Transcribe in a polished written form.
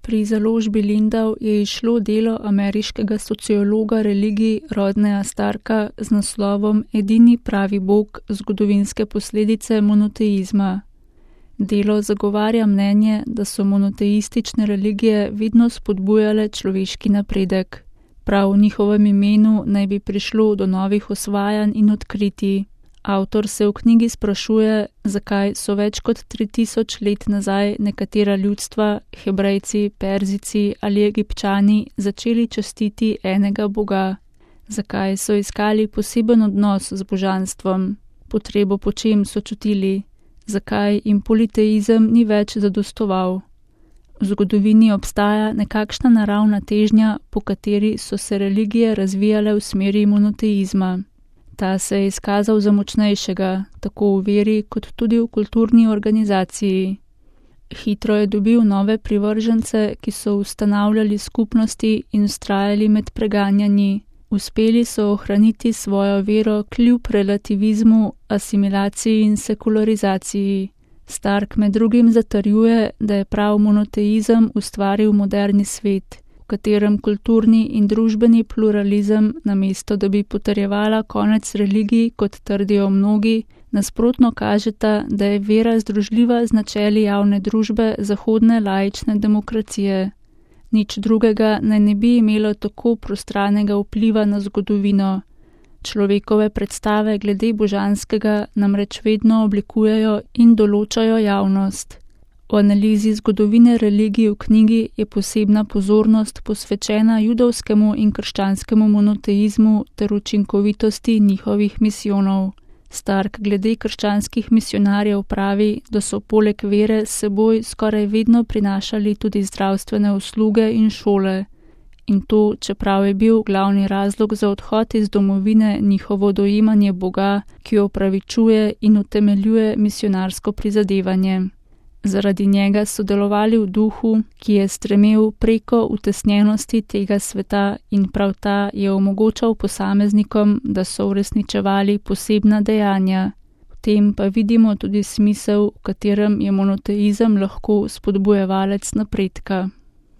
Pri založbi Lindau je izšlo delo ameriškega sociologa religij Rodneya Starka z naslovom Edini pravi Bog, zgodovinske posledice monoteizma. Delo zagovarja mnenje, da so monoteistične religije vedno spodbujale človeški napredek. Prav v njihovem imenu naj bi prišlo do novih osvajanj in odkritij. Avtor se v knjigi sprašuje, zakaj so več kot 3000 let nazaj nekatera ljudstva, Hebrejci, Perzijci ali Egipčani, začeli častiti enega Boga. Zakaj so iskali poseben odnos z božanstvom, potrebo po čem so čutili, zakaj jim politeizem ni več zadostoval. V zgodovini obstaja nekakšna naravna težnja, po kateri so se religije razvijale v smeri monoteizma. Ta se je izkazal za močnejšega, tako v veri kot tudi v kulturni organizaciji. Hitro je dobil nove privržence, ki so ustanavljali skupnosti in vztrajali med preganjanji. Uspeli so ohraniti svojo vero kljub relativizmu, asimilaciji in sekularizaciji. Stark med drugim zatrjuje, da je prav monoteizem ustvaril moderni svet, v katerem kulturni in družbeni pluralizem, namesto da bi potrjevala konec religij, kot trdijo mnogi, nasprotno kažeta, da je vera združljiva z načeli javne družbe zahodne laične demokracije. Nič drugega naj ne bi imelo tako prostranega vpliva na zgodovino. Človekove predstave glede božanskega namreč vedno oblikujejo in določajo javnost. V analizi zgodovine religij v knjigi je posebna pozornost posvečena judovskemu in krščanskemu monoteizmu ter učinkovitosti njihovih misijonov. Stark glede krščanskih misionarjev pravi, da so poleg vere s seboj skoraj vedno prinašali tudi zdravstvene usluge in šole. In to, čeprav je bil glavni razlog za odhod iz domovine njihovo dojemanje Boga, ki opravičuje in utemeljuje misionarsko prizadevanje. Zaradi njega so delovali v duhu, ki je stremel preko utesnjenosti tega sveta in prav ta je omogočal posameznikom, da so uresničevali posebna dejanja. V tem pa vidimo tudi smisel, v katerem je monoteizem lahko spodbujevalec napredka.